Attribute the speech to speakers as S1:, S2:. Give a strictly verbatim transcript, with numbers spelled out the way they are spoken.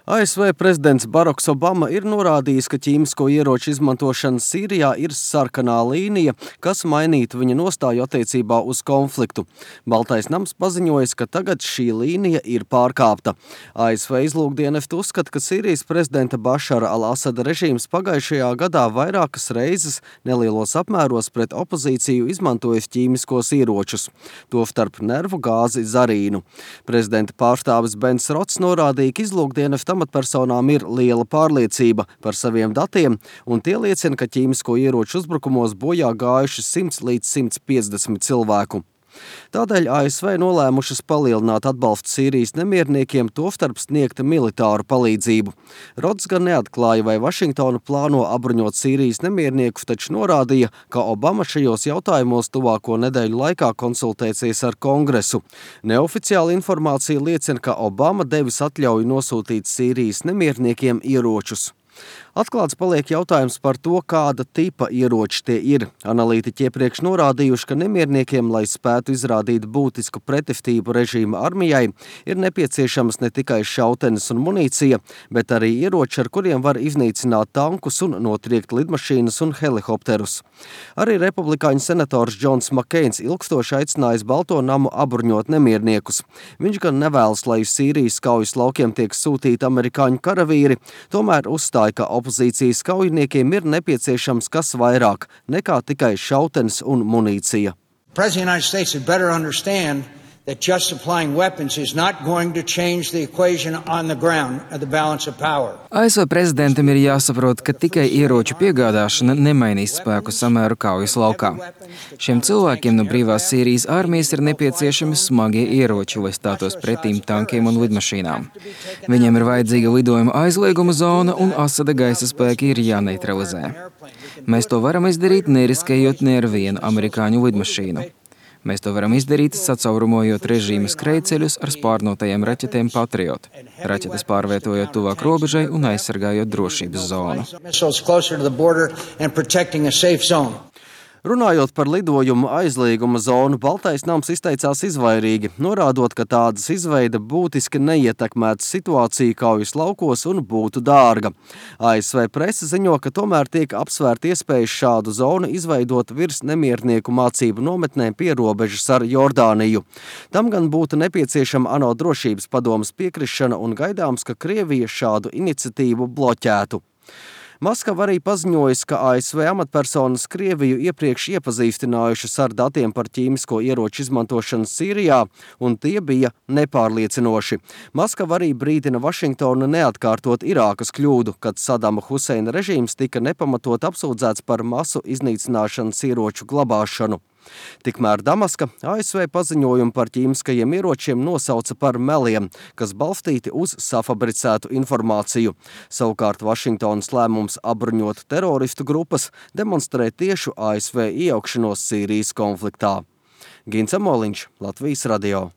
S1: A S V prezidents Baraks Obama ir norādījis, ka ķīmisko ieroču izmantošana Sīrijā ir sarkanā līnija, kas mainītu viņa nostāju attiecībā uz konfliktu. Baltais nams paziņojis, ka tagad šī līnija ir pārkāpta. A S V izlūkdienesti uzskata, ka Sīrijas prezidenta Bašara al-Asada režīms pagājušajā gadā vairākas reizes nelielos apmēros pret opozīciju izmantojis ķīmiskos ieročus, tostarp nervu gāzi zarīnu. Prezidenta pārstāvis Bens Rots norādīja, ka izlūkdienesta amatpersonām ir liela pārliecība par saviem datiem, un tie liecina, ka ķīmisko ieroču uzbrukumos bojā gājuši simts līdz simts piecdesmit cilvēku. Tādēļ A S V nolēmušas palielināt atbalstu Sīrijas nemierniekiem, tostarp sniegt militāru palīdzību. Rods gan neatklāja, vai Vašingtona plāno apbruņot Sīrijas nemierniekus, taču norādīja, ka Obama šajos jautājumos tuvāko nedēļu laikā konsultēsies ar Kongresu. Neoficiāla informācija liecina, ka Obama devis atļauju nosūtīt Sīrijas nemierniekiem ieročus. Atklāts paliek jautājums par to, kāda tipa ieroči tie ir. Analītiķi iepriekš norādījuši, ka nemierniekiem, lai spētu izrādīt būtisku pretestību režīma armijai, ir nepieciešamas ne tikai šautenes un munīcija, bet arī ieroči, ar kuriem var iznīcināt tankus un notriekt lidmašīnas un helikopterus. Arī republikāņu senators Džons Makeins ilgstoši aicinājis Balto namu apbruņot nemierniekus. Viņš gan nevēlas, lai uz Sīrijas kaujas laukiem tiek sūtīti amerikāņu karavīri, tomēr uzstāja, ka opozīcijas kaujiniekiem ir nepieciešams kas vairāk nekā tikai šautenes un munīcija.
S2: President of the United States had better understand that just supplying weapons is not going to change the equation on the ground of the balance of power.
S3: A S V prezidentam ir jāsaprot, ka tikai ieroču piegādāšana nemainīs spēku samēru kaujas laukā. Šiem cilvēkiem no brīvās Sīrijas armijas ir nepieciešami smagie ieroči, lai stātos pretīm tankiem un lidmašīnām. Viņiem ir vajadzīga lidojuma aizlieguma zona un Asada gaisa spēki ir jāneutralizē. Mēs to varam izdarīt, neriskējot ne ar vienu amerikāņu lidmašīnu. Mēs to varam izdarīt, sacaurumojot režīma skrejceļus ar spārnotajiem raķetēm Patriot, raķetes pārvietojot tuvāk robežai un aizsargājot drošības zonu.
S1: Runājot par lidojumu aizlieguma zonu, Baltais nams izteicās izvairīgi, norādot, ka tādas izveida būtiski neietekmētu situāciju kaujas laukos un būtu dārga. A S V prese ziņo, ka tomēr tiek apsvērt iespējas šādu zonu izveidot virs nemiernieku mācību nometnēm pie robežas ar Jordāniju. Tam gan būtu nepieciešama ANO drošības padomes piekrišana un gaidāms, ka Krievija šādu iniciatīvu bloķētu. Maskava arī paziņojas, ka A S V amatpersonas Krieviju iepriekš iepazīstinājušas ar datiem par ķīmisko ieroču izmantošanu Sīrijā, un tie bija nepārliecinoši. Maskava arī brīdina Vašingtonu neatkārtot Irākas kļūdu, kad Sadama Huseina režīms tika nepamatot apsūdzēts par masu iznīcināšanas ieroču glabāšanu. Tikmēr Damaska A S V paziņojumu par ķīmiskajiem ieročiem nosauca par meliem, kas balstīti uz safabricētu informāciju. Savukārt Vašingtonas lēmums apbruņot teroristu grupas demonstrē tiešu A S V iejaukšanos Sīrijas konfliktā. Gins Amoliņš, Latvijas radio.